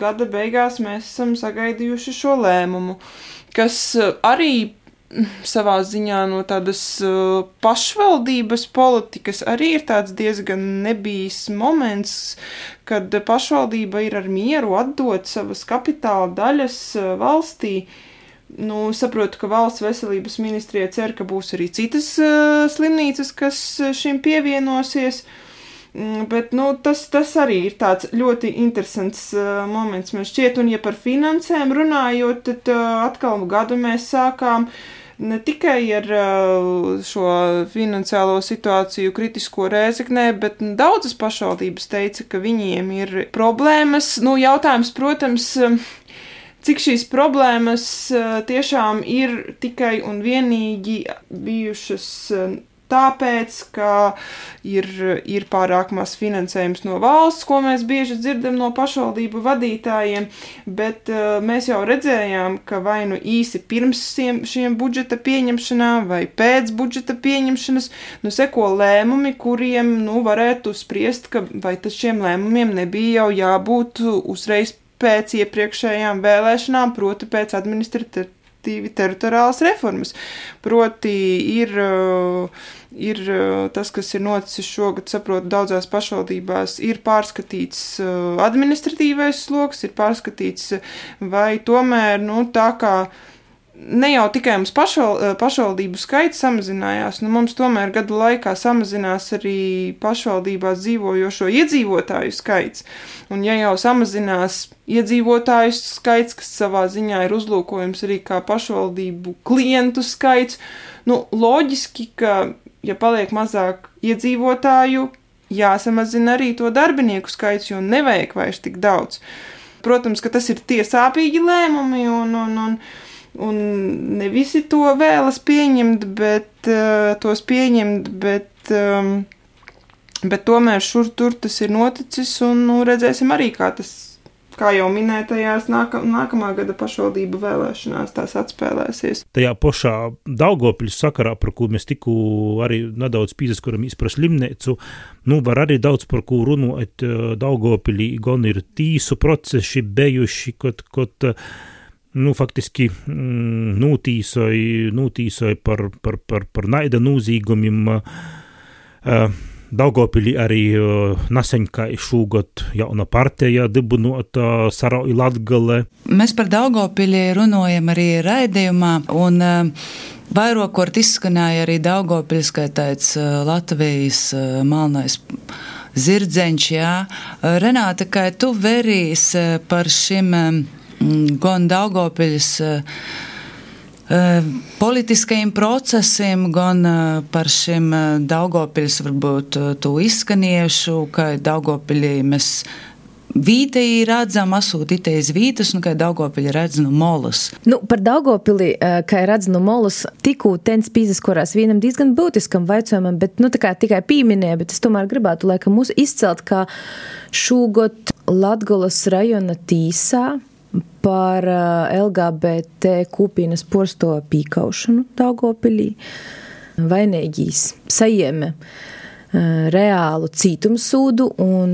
gada beigās mēs esam sagaidījuši šo lēmumu, kas arī savā ziņā no tādas pašvaldības politikas arī ir tāds diezgan nebijis moments, kad pašvaldība ir ar mieru atdot savas kapitāla daļas valstī. Saprotu, ka valsts veselības ministrija cer, ka būs arī citas slimnīcas, kas šim pievienosies, bet tas arī ir tāds ļoti interesants moments man šķiet, un ja par finansēm runājot, tad atkal gadu mēs sākām ne tikai ar šo finansiālo situāciju kritisko Rēzeknē, bet daudzas pašvaldības teica, ka viņiem ir problēmas. Jautājums, protams, cik šīs problēmas tiešām ir tikai un vienīgi bijušas tāpēc, ka ir pārāk maz finansējums no valsts, ko mēs bieži dzirdam no pašvaldību vadītājiem, bet mēs jau redzējām, ka vai īsi pirms šiem budžeta pieņemšanām vai pēc budžeta pieņemšanas, seko lēmumi, kuriem, varētu spriest, ka vai tas šiem lēmumiem nebija jau jābūt uzreiz pēc iepriekšējām vēlēšanām, proti pēc teritoriālas reformas. Proti ir tas, kas ir noticis šogad, saprotu, daudzās pašvaldībās, ir pārskatīts administratīvais sloks, ir pārskatīts, vai tomēr, tā kā ne jau tikai mums pašvaldību skaits samazinājās, mums tomēr gadu laikā samazinās arī pašvaldībās dzīvojošo iedzīvotāju skaits. Un ja jau samazinās iedzīvotāju skaits, kas savā ziņā ir uzlūkojums arī kā pašvaldību klientu skaits, loģiski, ka, ja paliek mazāk iedzīvotāju, jāsamazina arī to darbinieku skaits, jo nevajag vairs tik daudz. Protams, ka tas ir tiesāpīgi lēmumi un ne visi to vēlas pieņemt, bet tomēr šur tur tas ir noticis un redzēsim arī, kā jau minētajās nākamā gada pašvaldību vēlēšanās tās atspēlēsies. Tajā pašā Daugavpiļas sakarā, par ko mēs tikko arī nedaudz pīzaskaramies par slimneicu, var arī daudz par ko runāt. Daugavpilī gan ir tīsu procesi bejuši, kad faktiski nūtīsoja par naida nūzīgumiem. Daugavpilī arī naseņkai šūgot jauna partija dibinota Sarauj Latgale. Mēs par Daugavpilī runājam arī raidījumā, un vairākort izskanēja arī Daugavpiļs, kā tāds Latvijas melnais zirdzeņš, jā. Renāta, kā tu verīs par šim gan Daugavpiļas politiskajiem procesiem, gan par šim Daugavpiļas varbūt to izskaniešu, ka Daugavpilī mēs vītei redzam, asūt iteiz vītas, kā Daugavpili redz molas. Par Daugavpili, kā redz molas, tikū tens pīzaskorās vienam diezgan būtiskam vaicojumam, bet, tā kā tikai pīminēja, bet es tomēr gribētu, laikam, mūs izcelt, kā šūgot Latgolas rajona tīsā par LGBT kopienas porsto pīkaušanu Daugavpilī. Vainīgīs sajieme reālu cītumsūdu un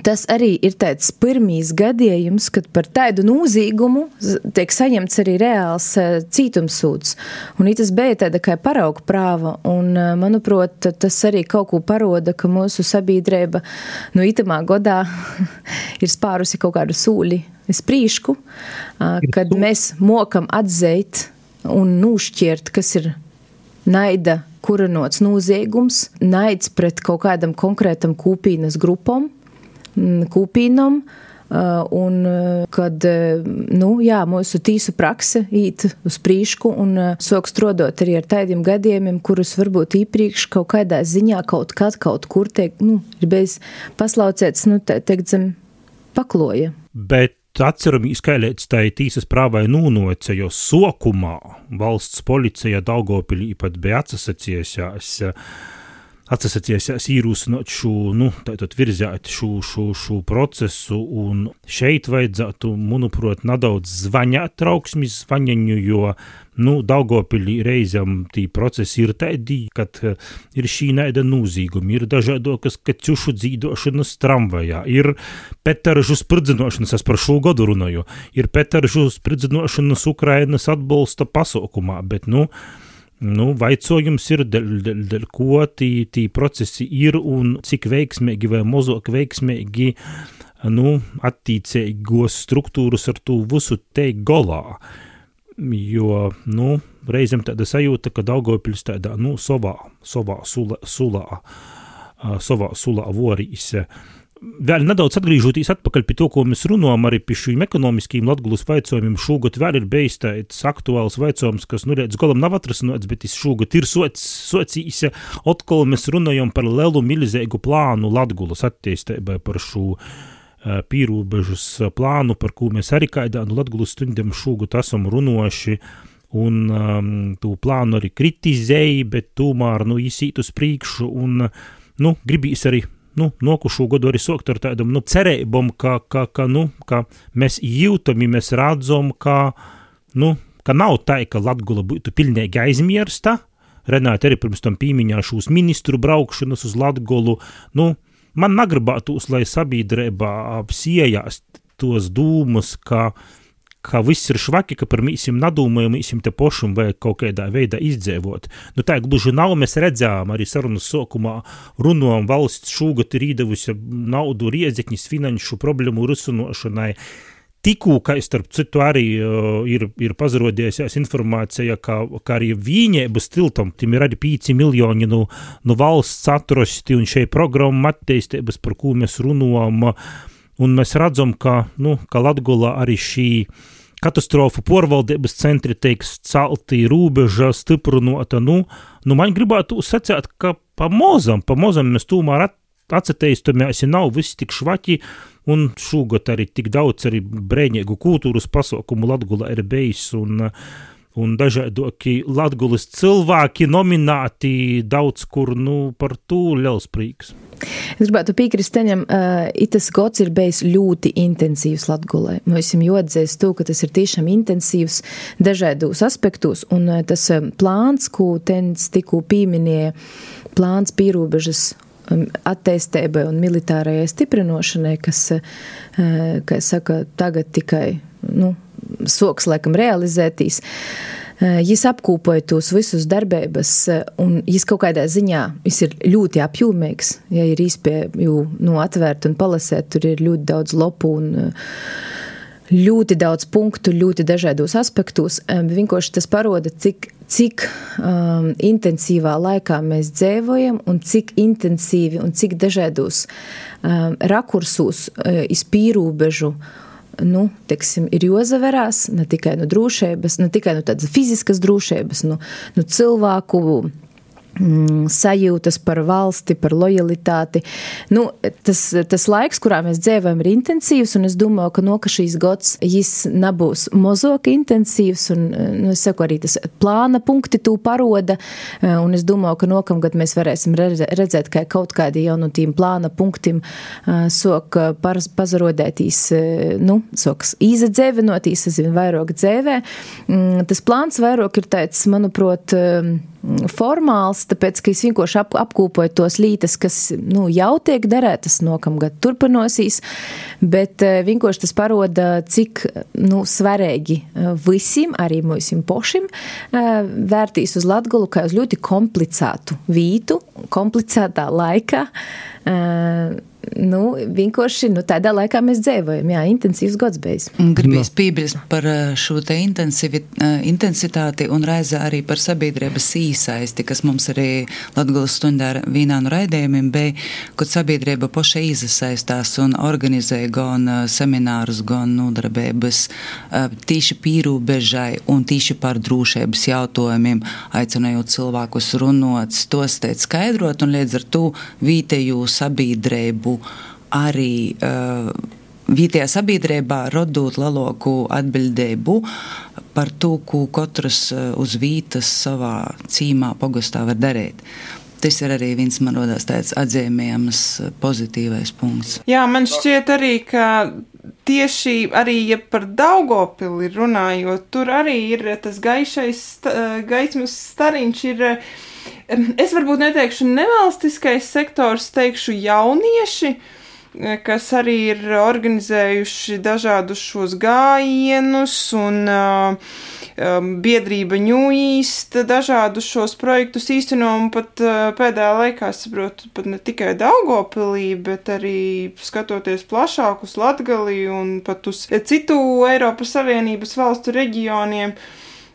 Tas arī ir tāds pirmīs gadījums, kad par tādu nozīgumu tiek saņemts arī reāls cītumsūds. Un tas bija tāda kā parauga prāva, un, manuprāt, tas arī kaut ko paroda, ka mūsu sabiedrība itamā godā ir spārusi kaut kādu sūli uz prīšku, kad mēs mokam atzeit un nūšķiert, kas ir naida kurinots noziegums, naids pret kaut kādam konkrētam kūpīnas grupam, kūpīnam, un kad, mūsu tīsu prakse īt uz prīšku un sāk strodot arī ar tādiem gadījumiem, kurus varbūt īpriekš kaut kādā ziņā kaut kur tiek, ir bijis paslaucēts, teikt zem pakloja. Bet atceramies, ka līdz tai tīsas prāvai nūnoce, jo sokumā valsts policija Daugavpilī pat bija atsasacījās īrūsinot šo, tātad virzēt šo procesu, un šeit vajadzētu, manuprāt, nedaudz zvaņāt trauksmis zvaņaņu, jo, Daugavpilī reizam tī procesi ir tādi, kad ir šī naida nūzīgumi, ir dažādokas kaķušu dzīdošanas tramvajā, ir petaržu spridzinošanas, es par šo godu runāju, ir petaržu spridzinošanas Ukrainas atbalsta pasaukumā, bet, vaicojums ir, dēļ ko tī procesi ir un cik veiksmīgi vai mazāk veiksmīgi, attīcīgos struktūras ar tū visu teik golā. Jo, reizēm tāda sajūta, ka Daugavpils tādā, savā sulā vorīs. Vēl nedaudz atgrīžoties atpakaļ pie to, ko mēs runājam arī pie šīm ekonomiskiem Latgulas vaicojumiem, šogad vēl ir bijis tāds aktuāls vaicojums, kas, līdz golam nav atrasināts, bet šogad ir sociīs, atkal mēs runājam par lielu milzīgu plānu Latgulas attīstībai, par šo pīrūbežas plānu, par ko mēs arī kādā Latgulas stundiem šogad esam runājuši, un tū plānu arī kritizēja, bet tomēr, izsīt uz priekšu, un, gribīs arī nokušo godu arī sokt ar tādam, cerībom, ka mēs jūtam, mēs radzam, ka nav tā, ka Latgula būtu pilnīgi aizmirsta. Renāte arī pirms tam pīmiņāšu uz ministru braukšanas uz Latgulu. Man nagribātos, lai sabiedrībā apsiejās tos dūmus, ka viss ir švaki, ka par mīsim nadūmojam, mīsim te pošam vajag kaut kādā veidā izdzēvot. Tā gluži nav, mēs redzējām arī sarunas sokumā, runājam, valsts šūgat ir īdevusi naudu riedzekņas finanšu problēmu risinošanai. Tikū, ka starp citu arī ir pazarodējusies informācija, ka arī Vīņēbas tiltam, tim ir arī 5 miljoni no valsts atrosti un šeit programma attīstības, par ko mēs runājam, un mēs redzam, ka Latgulā arī šī katastrofu porvaldības centri teiks celti rūbeža stiprinota, man gribētu sacēt, ka pamozam mēs tomēr atceteistamies, nav viss tik švaki, un šogad arī tik daudz arī brēņēgu kultūras pasaukumu Latgulā ir bijis, un dažādoki Latgulas cilvēki nominēti daudz kur, par to liels prieks. Es gribētu piekrist teņam, itas gods ir bijis ļoti intensīvs Latgulai. Mēs esam jāatzīst to, ka tas ir tiešām intensīvs dažādos aspektos, un tas plāns, ko tens tikko pieminēja, plāns pīrobežas attīstībai un militārajai stiprinošanai, kas, kā saka, tagad tikai, soks laikam realizētīs. Jis apkūpoja tos visus darbības, un jis kaut kādā ziņā, jis ir ļoti apjūmīgs, ja ir īspēju atvērt un palasēt, tur ir ļoti daudz lopu un ļoti daudz punktu, ļoti dažādos aspektos. Vienkārši tas paroda, cik intensīvā laikā mēs dzīvojam un cik intensīvi un cik dažādos rakursos iz pīrūbežu ir jozaverās, ne tikai no drošības, ne tikai no tādas fiziskas drošības, no cilvēku sajūtas par valsti, par lojalitāti. Tas laiks, kurā mēs dzīvojam, ir intensīvs, un es domāju, ka šīs gads jis nebūs mazāk intensīvs, un es saku, arī tas plāna punkti tū paroda, un es domāju, ka nokamgad mēs varēsim redzēt, ka kaut kādi jau no tīm plāna punktim sok pazarodētīs, soks īzadzēvinotīs, es vien vairāk dzēvē. Tas plāns vairāk ir tāds, manuprāt, formāls, tāpēc, ka es vienkārši apkūpoju tos lītas, kas, jau tiek darētas nokamgad turpinosīs, bet vienkārši tas paroda, cik, svarīgi visiem, arī mūsim pošim, vērtīs uz Latgolu kā uz ļoti komplicētu vītu, komplicētā laikā, vienkārši, tādā laikā mēs dzēvojam, intensīvs gads bijis. Gribīs piebilst par šo te intensitāti un reizē arī par sabiedrības īsaisti, kas mums arī Latgulas stundā vienā no raidījumiem bija, kad sabiedrība poša izasaistās un organizēja gan seminārus, gan nodarbības tīši pīrūbežai un tīši par drūšības jautājumiem, aicinājot cilvēkus runot, stostēt, skaidrot un līdz ar to vietēju sabiedrību arī vietējā sabiedrībā rodot lielāku atbildību par to, ko katrs uz vietas savā cīmā pogastā var darīt. Tas ir arī viens, man rodās, tāds atzīmējams pozitīvais punkts. Jā, man šķiet arī, ka tieši arī, ja par Daugavpili runājot, tur arī ir tas gaismas stariņš ir. Es varbūt neteikšu nevalstiskais sektors, teikšu jaunieši, kas arī ir organizējuši dažādus šos gājienus un biedrība New East dažādus šos projektus īsteno un pat pēdējā laikā, saprotu, pat ne tikai Daugavpilī, bet arī skatoties plašāk uz Latgali un pat uz citu Eiropas Savienības valstu reģioniem.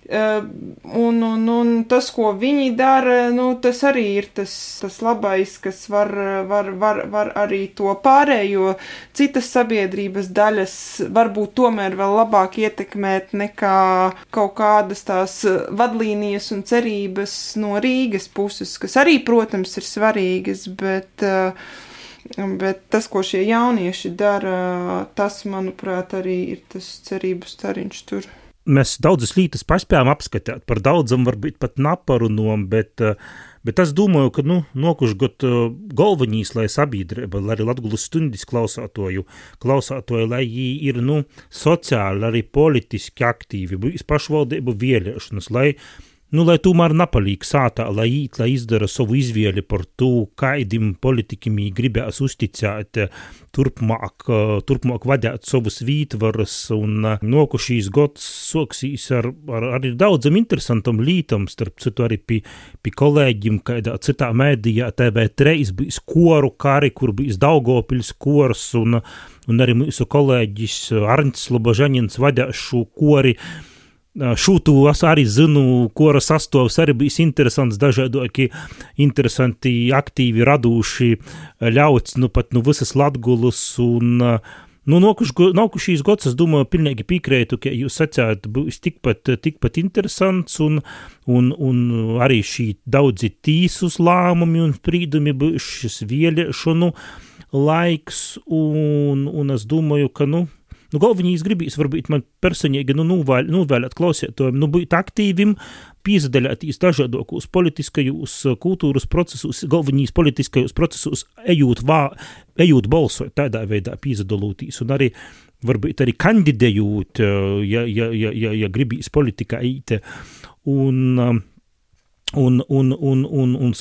Un tas, ko viņi dara, tas arī ir tas labais, kas var arī to pārējo citas sabiedrības daļas varbūt tomēr vēl labāk ietekmēt nekā kaut kādas tās vadlīnijas un cerības no Rīgas puses, kas arī, protams, ir svarīgas, bet tas, ko šie jaunieši dara, tas, manuprāt, arī ir tas cerību stariņš tur. Mēs daudzas lietas paspējām apskatīt, par daudzam varbūt pat naparunom, bet es domāju, ka, nokuši got galvenīs, lai sabiedrība, lai arī Latgulas stundis klausātoju, lai jī ir, sociāli, arī politiski aktīvi, pašvaldību vēlēšanas, lai tomēr napalīk sātā, lai izdara savu izvēli par to, kaidim politikim jī gribēs uzticēt, turpmāk vadēt savus vītvaras, un nokušīs gods soksīs ar daudzam interesantam lītam, starp citu arī pie kolēģim, kādā citā mēdījā TV3 bijis koru kari, kur bijis Daugavpils kors, un arī mūsu kolēģis Arņts Slobožaņins vadēs šo kori. Šūtu es arī zinu, kora sastovs arī bijis interesants, dažādoki interesanti, aktīvi raduši ļauts, pat visas Latgulas, un nokušīs gods, es domāju, pilnīgi piekrētu, ka jūs sacāt, būs tikpat interesants, un arī šī daudzi tīsus lēmumi un sprīdumi būs šis vēlēšanu laiks, un es domāju, ka, galvenīs gribīs varbūt man personīgi novēlēt klausētojiem, būt aktīvim, pīzadaļātīs dažādokos politiskajos kultūras procesus, galvenīs politiskajos procesus, ejūt balsot, tādā veidā pīzadalūtīs, un arī varbūt arī kandidējūt, ja gribīs politikā īt, un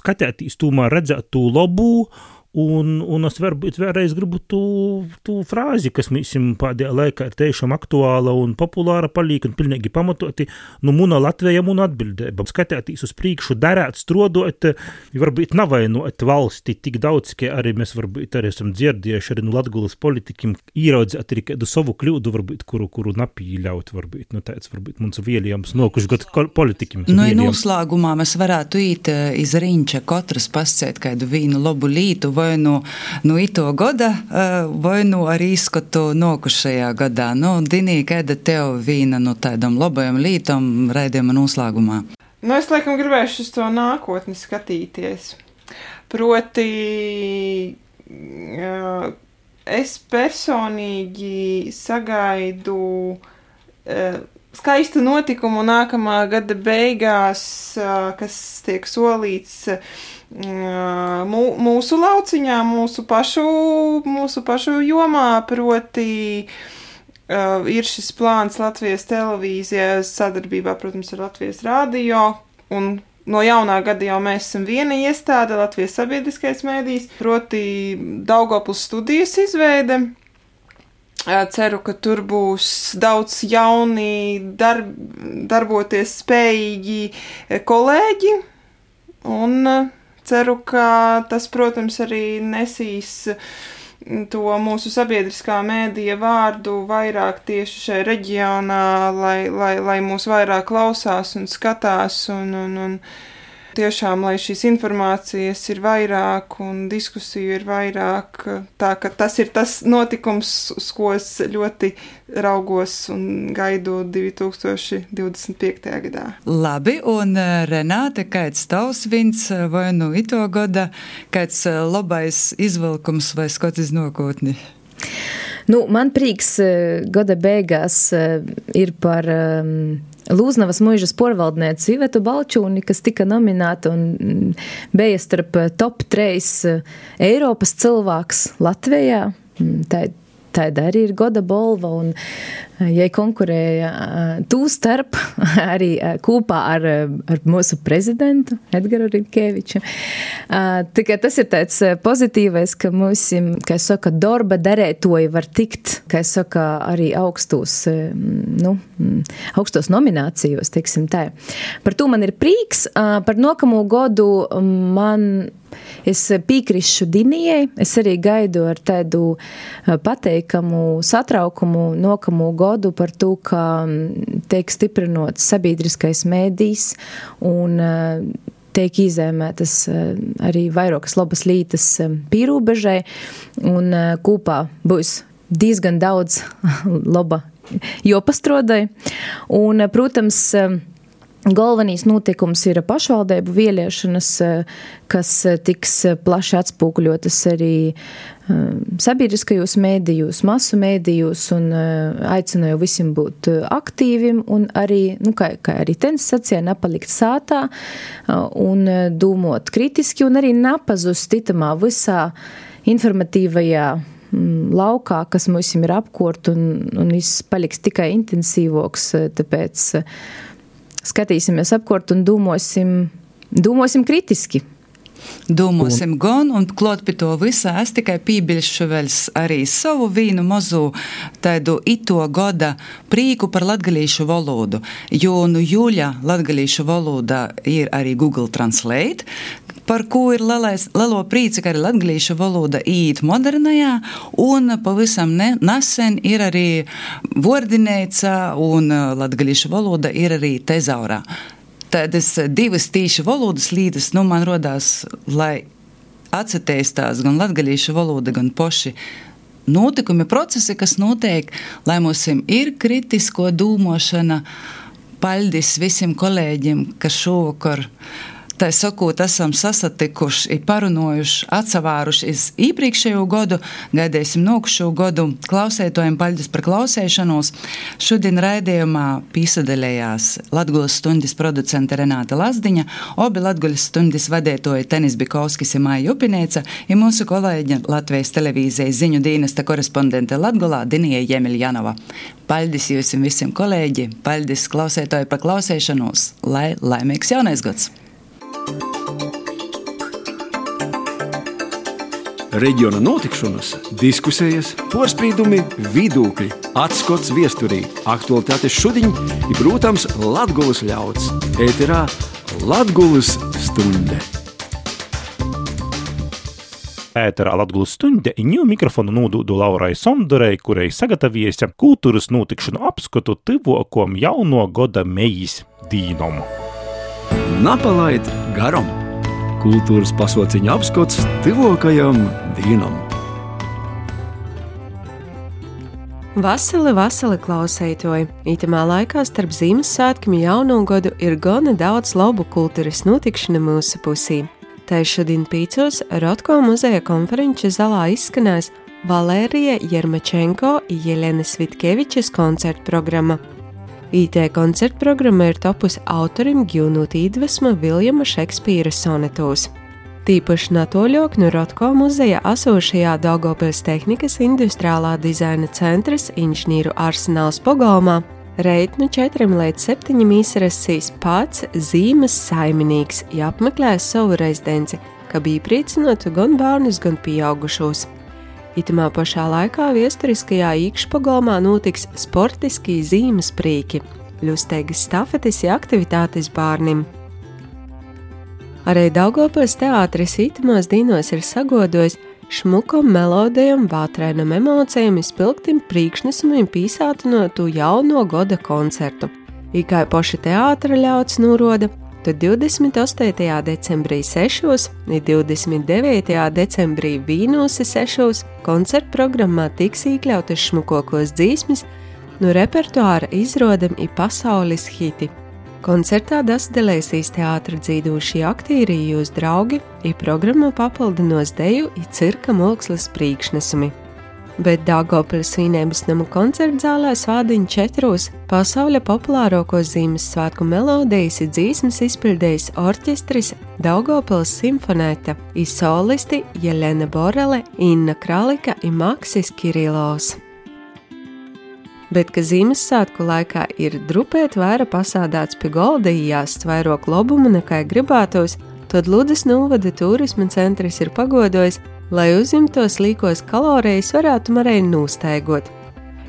skatētīs tomēr redzēt to labu, un es varbūt vēlreiz gribu tu frāzi, kas mīsim pēdējā laikā ir tiešām aktuāla un populāra palīk un pilnīgi pamatoti, muna Latvija, muna atbildēba. Skatētīs uz priekšu, darēt, strodot, varbūt navainot valsti tik daudz, ka arī mēs varbūt arī esam dzirdējuši arī Latgulas politikim īraudzēt arī kādu savu kļūdu, varbūt, kuru napīļaut, varbūt, tāds varbūt mums vēlījums nokuši gadu politikim. Noslēgumā mēs varētu īt iz riņča katrs pascēt kādu vīnu labu lītu, vai ito gada, vai arī izskatu nokušajā gadā. Dinī, kāda tev vīna tādam labajam lītam raidījuma noslēgumā? Es laikam gribēšu uz to nākotni skatīties. Proti, es personīgi sagaidu skaistu notikumu nākamā gada beigās, kas tiek solīts mūsu lauciņā, mūsu pašu jomā, proti ir šis plāns Latvijas televīzijas sadarbībā, protams, ar Latvijas radio un no jaunā gada jau mēs esam viena iestāde, Latvijas sabiedriskais mēdījis, proti Daugavpils studijas izveide. Ceru, ka tur būs daudz jauni, darboties spējīgi kolēģi, un ceru, ka tas, protams, arī nesīs to mūsu sabiedriskā mēdīja vārdu vairāk tieši šajā reģionā, lai mūs vairāk klausās un skatās, un tiešām, lai šīs informācijas ir vairāk un diskusiju ir vairāk, tā ka tas ir tas notikums, uz ko es ļoti raugos un gaidu 2025. gadā. Labi, un Renāte, kāds tavs vins vai nu ito gada, kāds labais izvilkums vai skots iz nākotni? Man prīks gada beigās ir par Lūznavas muižas porvaldnieci Ivetu Balčūni, kas tika nominēta un bija starp top 3 Eiropas cilvēks Latvijā. Tāda arī ir goda bolva, un jai konkurēja tū starp arī kopā ar mūsu prezidentu Edgaru Rinkēviču. Tikai tas ir tāds pozitīvais, ka mūsim, kā es saka, darba darētoji var tikt, kā es saka, arī augstos nominācijos, teiksim tā. Par to man ir prīks. Par nākamo godu es piekrīšu Dinijai, es arī gaidu ar tādu pateikamu satraukumu nākamo godu par to, ka tiek stiprinots sabiedriskais mēdījis un tiek izēmētas arī vairākas labas lītas pīrūbežai, un kopā būs diezgan daudz laba jopastrodai. Un, protams, galvenīs notikums ir pašvaldību vēlēšanas, kas tiks plaši atspūkuļotas arī sabiedriskajos mēdījos, masu mēdījos, un aicināju visiem būt aktīvim un arī, kā arī tenis sacīja, nepalikt sātā un domot kritiski un arī nepazust itamā visā informatīvajā laukā, kas mums ir apkort, un viss paliks tikai intensīvoks, tāpēc skatīsimies apkort un domāsim kritiski. Domāsim gan, un klāt pie to visā es tikai pībiļšu vēl arī savu vīnu mazu tādu ito goda prīku par latgalīšu valodu, jo jūļa latgalīšu valoda ir arī Google Translate, par ko ir lelo prīci, ka arī latgalīšu valoda īt modernajā, un pavisam nesen ir arī vordinēca, un latgalīšu valoda ir arī tezaurā. Tādas divas tīši valodas līdas, man rodās, lai atsateistās gan latgalīšu valoda, gan poši notikumi, procesi, kas notiek, lai mums ir kritisko dūmošana. Paldies visiem kolēģiem, kas šovakar, tā sakot, esam sasatikuši, parunojuši, atsavāruši iz iepriekšējo godu, gaidēsim nākušo godu. Klausētojiem paldies par klausēšanos. Šodien raidījumā pīsadaļējās Latgulas stundas producente Renāta Lazdiņa, obi Latgulas stundas vadētoji Tenis Bikovskis un Maija Upinēca, un mūsu kolēģi Latvijas televīzijas ziņu dienesta korespondente Latgulā Dinija Jemiljanova. Paldies jums visiem kolēģi, paldies klausētoji par klausēšanos, lai laimīgs jaunais gads! Reģiona notikšanas, diskusijas, porspīdumi, vidūkļi, atskots viesturī, aktualitātes šudiņ i, protams, Latgulas ļauds. Ēterā Latgulas stunde. Ēterā Latgulas stunde ņū mikrofonu nūdūdu Laurai Somdorei, kurai sagataviesia kultūras notikšanu apskatu tyvuokom jauno goda mejis dīnom. Napalaid garam! Kultūras pasauciņa apskots tyvuokajam dīnam. Vasali klausētoji! Itamā laikā starp Ziemassvētkiem jauno godu ir gana daudz labu kultūras notikšanu mūsu pusī. Tā šodien 5 Rotko muzeja konferenču zalā izskanēs Valērija Jermačenko un Jelenas Vitkevičas koncertu programma. IT koncertu programma ir topusi autorim gūnot iedvesmu Viljama Šekspīra sonetos. Tīpaši natoļok no Rotko muzeja esošajā Daugavpils tehnikas industriālā dizaina centras inženieru arsenāls Pogolmā Reit no 4 līdz 7 izrasīs pats zīmes saiminīgs, ja apmeklēs savu rezidenci, ka bija priecinotu gan bērnus, gan pieaugušos. Itamā pašā laikā viesturiskajā īkšpagalmā notiks sportiskī zīmes prīki, ļusteigas stafetes ja aktivitātes bārnim. Arī Daugavpils teātris itamās dīnos ir sagodojis šmukom melodijam, vātrēnam emocijam izpilgtim priekšnesumim pīsātinotu jauno goda koncertu. Kā poši teātra ļauts nūroda, tad 28. decembrī 6 un 29. decembrī vīnūsi 6 koncertu programmā tiks iekļautas šmukokos dzīsmis no repertuāra izrodam i pasaules hiti. Koncertā dasdelēsīs teātra dzīdūšie aktīri jūs draugi, i programma papildinos deju i cirka mākslas priekšnesumi. Bet Daugavpils svinības nama koncertzālē svādiņ 4 pasauļa populārākos Ziemassvētku melodijas i dzīsmes izpildējis orķestris Daugavpils simfonēta i solisti Jelena Borele, Inna Kralika i Maksis Kirilovs. Bet, ka Ziemassvētku laikā ir drupēt vaira pasādāts pie golda jāsts vairāk lobumu nekā gribētos, tad Ludzas novada turisma centrs ir pagodojis, lai uzņemtos līkos kalorijas varētu marēji nūstaigot.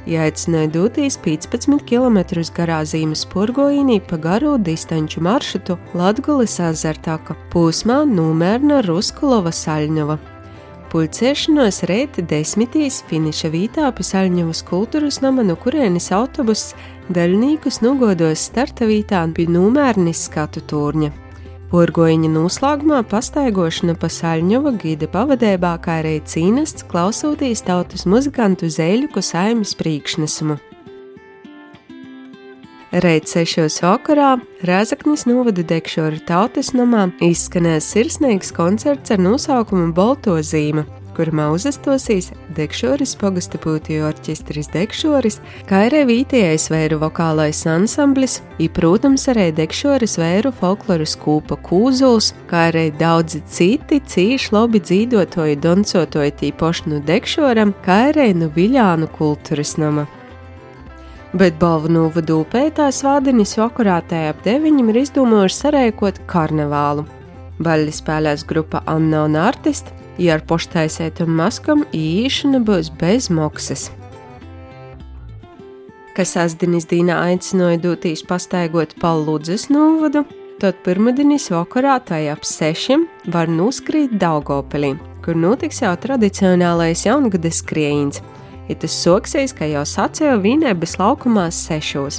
Jāicināja dūtīs 15 km garā Zīmes purgojīnī pa garu distanču maršrutu Latgulis Azartaka, pūsmā Numērna Ruskulova Saļņova. Pulcēšanos reit 10 finiša vītā pie Saļņovas kultūras nama, no kurienes autobuss daļnīkus nogodos starta vītā pie Numērnis skatu turņa. Purgojiņa noslēgumā pastaigošana pa Saļņova gida pavadībā, kā arī cīnests klausūtīs tautas muzikantu Zēļuku saimes priekšnesumu. Reit 6 vakarā Rēzaknis novada Dekšoru tautas namā izskanēs sirsnīgs koncerts ar nosaukumu Bolto zīme, kurmā uzastosīs Dekšoris pogasta pūtiju orķestris Dekšoris, kā arī vītējais vēru vokālais ansamblis, i, protams, arī Dekšoris vēru folkloras kūpa Kūzuls, kā arī daudzi citi cīši labi dzīdotoji doncotoji tīpoši no Dekšoram, kā arī no Viļānu kultūras nama. Bet balvu novadu upētā svādinis vakarā tajā ap 9 ir izdomājuši sarēkot karnevālu. Baļļi spēlēs grupa Anna un Artist, ja ar poštaisētam maskam īšana būs bez maksas. Kas sastdinis dīnā aicināja dūtīs pastaigot pa Ludzas novadu, tad pirmdinis vakarā tajā ap 6 var nuskrīt Daugavpilī, kur notiks jau tradicionālais jaungada skriejiens. Tas soksīs, ka jau sacēja Vīnēbas laukumās 6.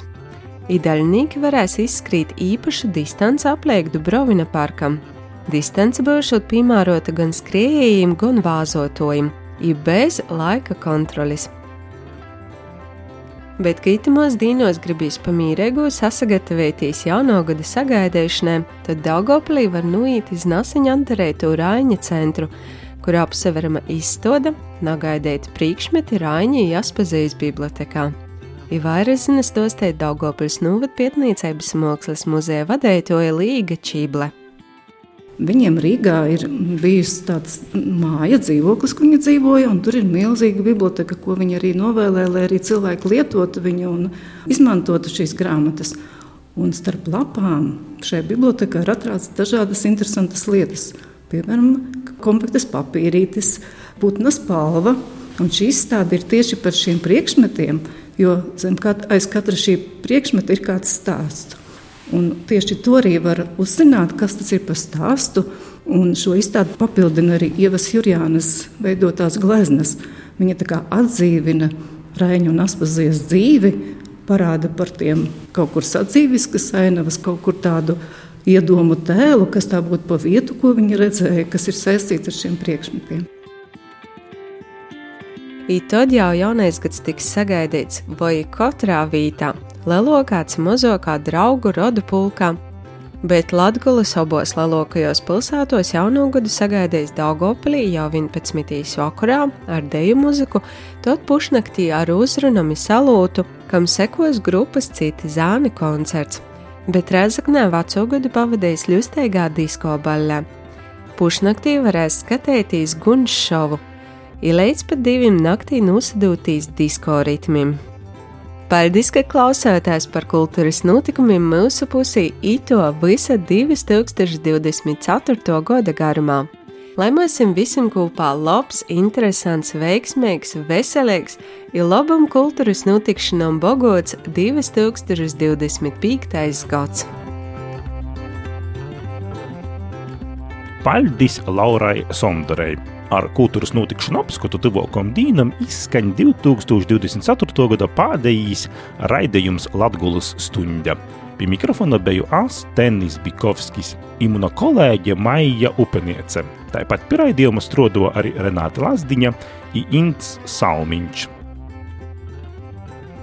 Daļnīki varēs izskrīt īpašu distanci apliek Dubrovina parkam. Distance būšot piemērota gan skriejējiem, gan vāzotojiem, bez laika kontrolis. Bet, ka itimos dīnos gribīs pamīrēgu sasagatavētīs jaunogada sagaidēšanai, tad Daugavpilī var nuīt iz nasiņa atdarētu Raiņa centru, kur apseverama izstoda, nagaidēt priekšmeti Raiņa Jaspazijas bibliotekā. Vairāk zinas dostēt Daugavpils novada pietnīcības mākslas muzeja vadētoja Līga Čīble. Viņiem Rīgā ir bijusi tāds māja dzīvoklis, kur viņi dzīvoja, un tur ir milzīga biblioteka, ko viņi arī novēlēja, lai arī cilvēki lietotu viņu un izmantotu šīs grāmatas. Un starp lapām šajā bibliotekā ir atrāds dažādas interesantas lietas. Piemēram, kompaktas papīrītis, putna spalva, un šī izstāde ir tieši par šiem priekšmetiem, jo aiz katra šī priekšmeta ir kāds stāsts. Un tieši to arī var uzzināt, kas tas ir par stāstu, un šo izstādi papildina arī Ievas Jurjānas veidotās gleznas. Viņa tā kā atdzīvina Raiņa un Aspazijas dzīvi, parāda par tiem kaut kur sadzīviskas ainavas, kaut kur tādu iedomu tēlu, kas tā būtu pa vietu, ko viņi redzēja, kas ir saistīts ar šiem priekšmetiem. Tad jau jaunais gads tiks sagaidīts vai katrā vītā, lelokāts mozokā draugu rodu pulkā, bet Latgulas abos lelokajos pilsētos jaunogadu sagaidīs Daugavpilī jau 11. vakarā ar deju muziku, tad pušnaktī ar uzrunami salūtu, kam sekos grupas Citi zāni koncerts. Bet Rēzaknē vecogadu pavadījis ļusteigā disko baļļā. Pušnaktī varēs skatētīs gunš šovu, līdz pat 2 naktī nosadūtīs disko ritmim. Paldies, ka klausāties par kultūras notikumiem mūsu pusī ito visa 2024. gada garumā. Lai mums visam kopā labs, interesants, veiksmīgs, veselīgs ir labam kultūras notikšanām bogots 2025. gads. Paldies Laurai Sondarei. Ar kultūras notikšanu apskatu tuvākam dīnam izskaņ 2024. gada pēdējīs raidījums Latgulas stuņda. Pie mikrofona beju es, Tenis Bikovskis, i muna kolēģe Maija Upeniece. Tāpat pie raidījuma strodo arī Renāta Lazdiņa i Ints Salmiņš.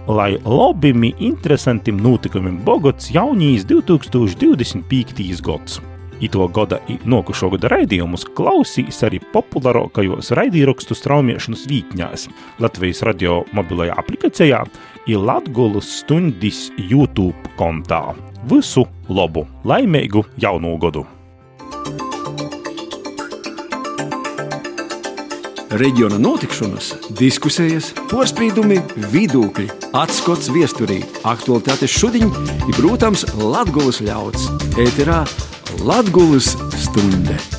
Lai labim i interesantim notikumim bogots jaunīs 2025. gads. Ito gada i nokušo gada raidījumus klausīs arī populārākajos raidīrakstu straumiešanas vītņās Latvijas radio mobilajā aplikācijā i Latgulas stundis YouTube kontā. Visu labu, laimīgu jaunu gadu! Reģiona notikšanas, diskusijas, porspīdumi, vidūkļi, atskots viesturī, aktualitātes šudiņ i, protams, Latgulas ļauds. Ēterā Latgulas stunde.